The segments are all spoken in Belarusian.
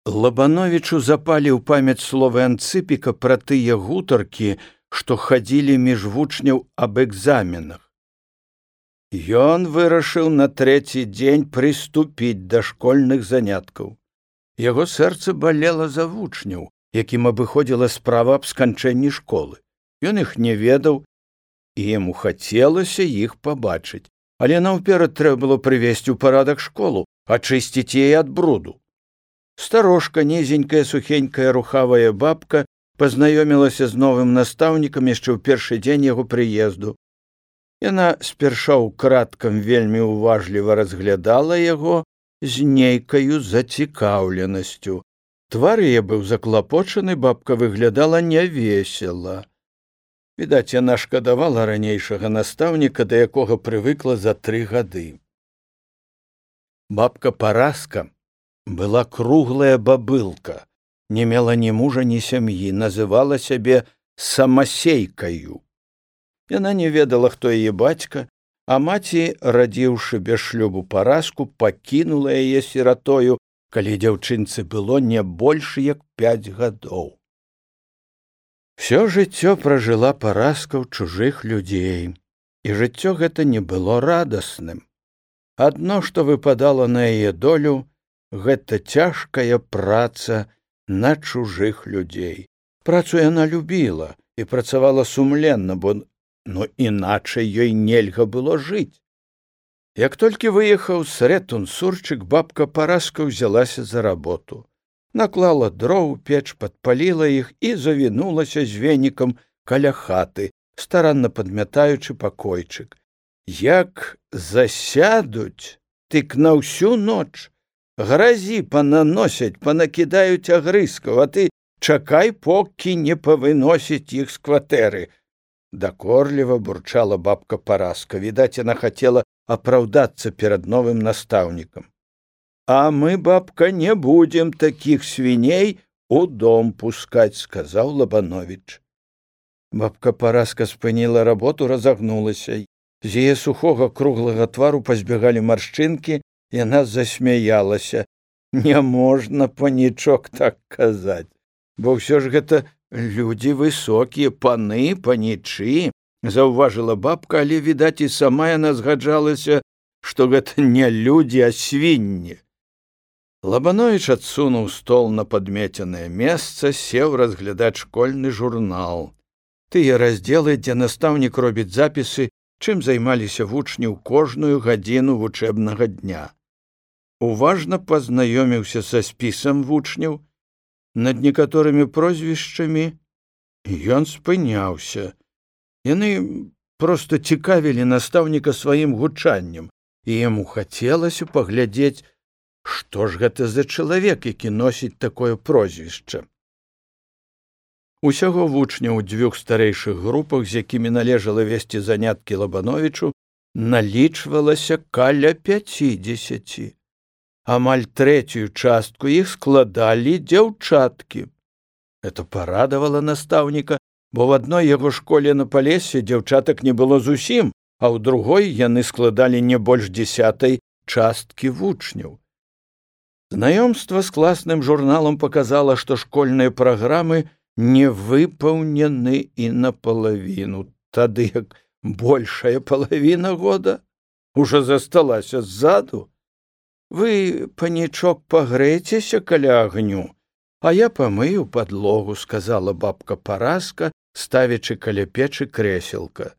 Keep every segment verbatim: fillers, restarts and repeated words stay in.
Лабановічу запалі ў памяць словы Анцыпіка пра тыя гутаркі, што хадзілі між вучняў аб экзаменах. Ён вырашыў на трэці дзень прыступіць да школьных заняткаў. Яго сэрца балела за вучняў, якім абыходзіла справа аб сканчэнні школы. Ён іх не ведаў, і яму хацелася іх пабачыць. Але наўперад трэба было прывесці ў парадак школу, ачысціць яе ад бруду. Старожка, нізенькая, сухенькая, рухавая бабка пазнаёмілася з новым настаўнікам яшчэ ў першы дзень яго прыезду. Яна спярша ўкрадкам вельмі уважліва разглядала яго з нейкаю зацікаўленасцю. Твар яе быў заклапочаны, бабка выглядала нявесела. Відаць, яна шкадавала ранейшага настаўніка, да якога прывыкла за тры гады. Бабка Параска была круглая бабылка, не мела ні мужа, ні сям'і, называла сябе самасейкаю. Яна не ведала, хто яе бацька, а маці, радзіўшы без шлюбу Параску, пакінула яе сіратою, калі дзяўчынцы было не больш як пяць гадоў. Всё жыццё пражыла Параска ў чужых людзей, і жыццё гэта не было радасным. Адно, што выпадала на яе долю, гэта цяжкая праца на чужых людзей. Працу яна любіла і працавала сумленна, бо ну іначай ёй нельга было жыць. Як толькі выехаў Срэтун-Сурчык, бабка Параска ўзялася за работу. Наклала дроў, печ, падпаліла іх і завінулася з венікам каля хаты, старанна падмятаючы пакойчык. Як засядуць, тык на ўсю ноч, гразі пананосяць, панакідаюць агрызкаў, а ты чакай, покі не павыносіць іх з кватэры. Дакорліва бурчала бабка Параска. Відаць, яна хацела апраўдацца перад новым настаўнікам. А мы, бабка, не будем такіх свіней у дом пускаць, сказаў Лабановіч. Бабка Параска спыніла работу, разагнулася. З яе сухога круглага твару пазбегалі маршчынкі, яна засмяялася. Не можна, панічок, так казаць, бо ўсё ж гэта людзі высокія, паны, панічы, заўважыла бабка, але, відаць, і сама яна згаджалася, што гэта не людзі, а свінні. Лабановіч адсунуў стол на падмеценае месца, сеў разглядаць школьны журнал. Тыя раздзелы, дзе настаўнік робіць запісы, чым займаліся вучні ў кожную гадзіну вучэбнага дня. Уважна пазнаёміўся са спісам вучняў, над некаторымі прозвішчамі ён спыняўся. Яны проста цікавілі настаўніка сваім гучаннем, і яму хацелася паглядзець, што ж гэта за чалавек, які носіць такое прозвішча. Усяго вучняў у дзвюх старэйшых групах, з якімі належала весці заняткі Лабановічу, налічвалася каля пяцідзесяці. Амаль трэцюю частку іх складалі дзяўчаткі. Это парадавала настаўніка, бо в адной яго школе на Палесе дзяўчатак не было зусім, а ў другой яны складалі не больш дзесятай часткі вучняў. Знаёмства з класным журналам паказала, што школьныя праграмы не выпаўнены і напалавіну, тады як большая палавіна года ўжо засталася ззаду. Вы, панічок, пагрэйцеся каля агню, а я памыю падлогу, сказала бабка Параска, ставячы каля печы крэселка.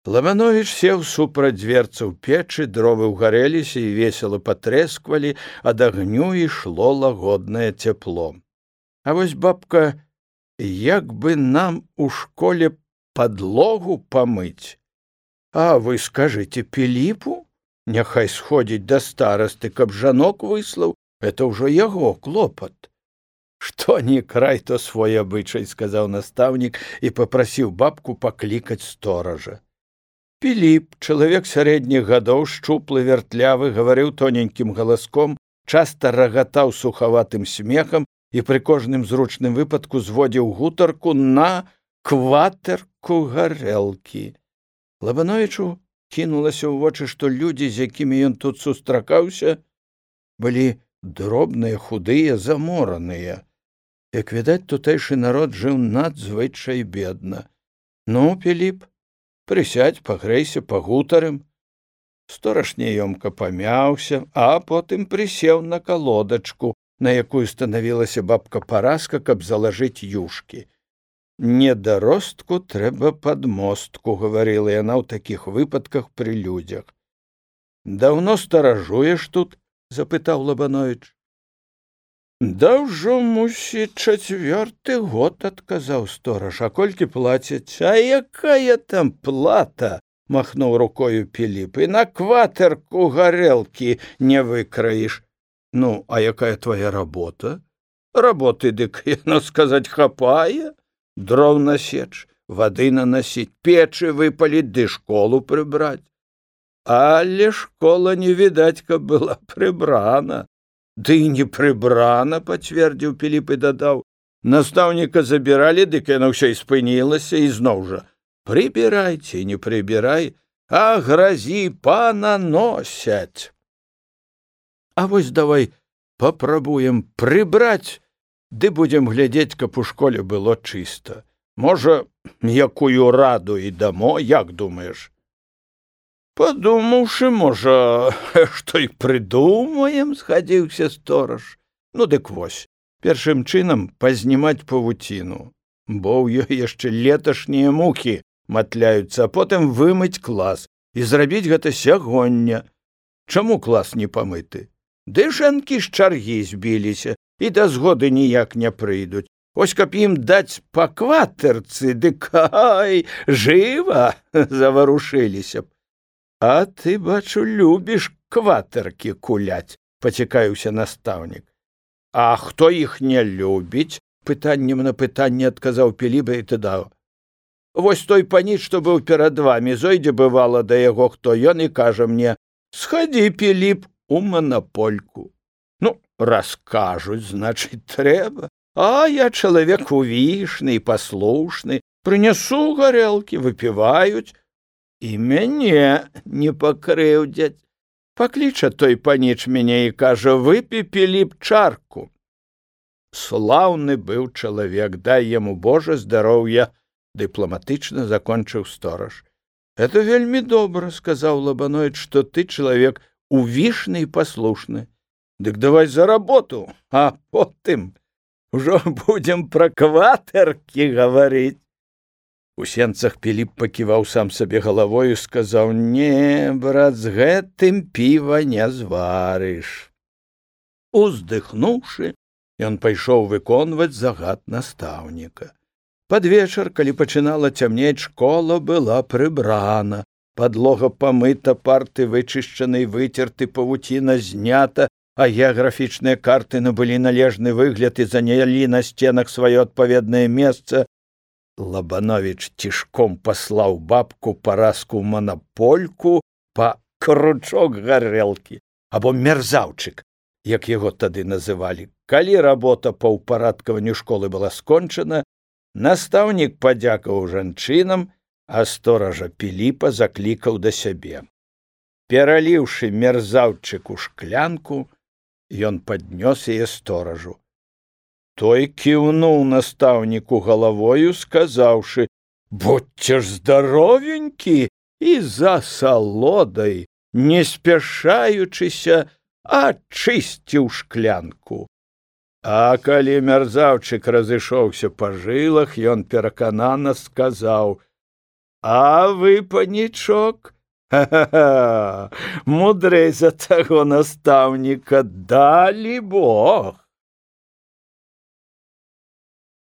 Лабановіч сеў супраць дверцаў печы, дровы ўгарэліся і весела патрэсквалі, ад агню ішло лагоднае цяпло. А вось, бабка, як бы нам у школе падлогу памыць? А вы скажыце Піліпу? Няхай сходзіць да старасты, каб жанок выслаў, это ўжо яго клопат. Што ні край, то свой абычай, сказаў настаўнік і папрасіў бабку паклікаць стоража. Піліп, чалавек сярэдніх гадоў, шчуплы, вяртлявы, гаварыў тоненькім галаском, часта рагатаў сухаватым смехам і пры кожным зручным выпадку зводзіў гутарку на кватэрку гарэлкі. Лабановічу кінулася ў вочы, што людзі, з якімі ён тут сустракаўся, былі дробныя, худыя, замораныя. Як відаць, тутэйшы народ жыў надзвычай бедна. Ну, Піліп, прысядзь, пагрэйся, пагутарым. Стораж няёмка памяўся, а потым прысеў на калодачку, на якую станавілася бабка Параска, каб залажыць юшкі. «Недаростку трэба падмостку», — гаварыла яна ў такіх выпадках пры людзях. «Даўно старажуеш тут?» — запытаў Лабановіч. «Да ўжо, мусіць, чацвёрты год», — адказаў стораж. «А колькі плацяць?» «А якая там плата?» — махнуў рукою Піліп. «І на кватэрку гарэлкі не выкраіш». «Ну, а якая твоя работа?» «Работы, дык, яно сказаць, хапае. Дров насечь, вады наносить, печы выпалить, ды школу прибрать. Але школа не видать, каб была прибрана». «Ды не прибрана», — пацвердзіў Піліп і дадаў. «Настаўніка забіралі, дык яно ўсё і спынілася, і зноў жа. Прибірай ці не прибірай, а гразі пананосяць. А вось давай папрабуем прыбраць, ды будзем глядзець, каб у школе было чыста. Можа, якую раду і дамо, як думаеш?» «Падумаўшы, можа, што і прыдумаем», — згадзіўся стораж. «Ну, дык вось, першым чынам пазнімаць павуціну, бо ў ёй яшчэ леташнія мухі матляюцца, а потым вымыць клас і зрабіць гэта сягоння. Чаму клас не памыты? Ды жанкі з чаргі збіліся і да згоды ніяк не прыйдуць. Ось каб ім даць па кватэрцы, дык ай, жыва заварушыліся б». «А ты, бачу, любіш кватэркі куляць», — пацікаўся настаўнік. «А хто іх не любіць?» — пытаннем на пытанне адказаў Піліп і дадаў. «Вось той паніч, што быў перад вамі, зойдзе бывала да яго хто, ён і кажа мне: схадзі, Піліп, у манапольку. Ну, раз кажуць, значыць, трэба. А я чалавек увішны і паслушны, прынясу гарэлкі, выпіваюць, і мяне не пакрыўдзяць. Пакліча той паніч мяне і кажа: выпі, Піліп, чарку». Слаўны быў чалавек, дай яму Божа здароўя, дыпламатычна закончыў стораж. «Это вельмі добра», — сказаў Лабановіч, «што ты чалавек увішны і паслушны. Дык давай за работу, а потым ужо будзем пра кватэркі гаварыць». У сенцах Піліп паківаў сам сабе галавою, сказаў: «Не, брат, з гэтым піва не зварыш». Уздыхнуўшы, ён пайшоў выконваць загад настаўніка. Пад вечар, калі пачынала цямнець, школа была прыбрана, падлога памыта, парты вычышчаны і выцерты, павуціна знята, а геаграфічныя карты набылі належны выгляд і занялі на сценах сваё адпаведнае месца. Лабановіч цішком паслаў бабку Параску ў манапольку па кручок гарэлкі, або мерзаўчык, як яго тады называлі. Калі работа па ўпарадкаванню школы была скончана, настаўнік падзякаваў жанчынам, а стоража Піліпа заклікаў да сябе. Пераліўшы мерзаўчык у шклянку, ён паднёс яе сторажу. Той кіўнуў настаўніку галавою, сказаўшы: «Будьце ж здаровенькі», і за салодай, не спяшаючыся, ачысціў шклянку. А калі мерзаўчык разышоўся па жылах, ён пераканана сказаў: «А вы, панічок, ха-ха-ха, мудрэй за таго настаўніка, далі Бог».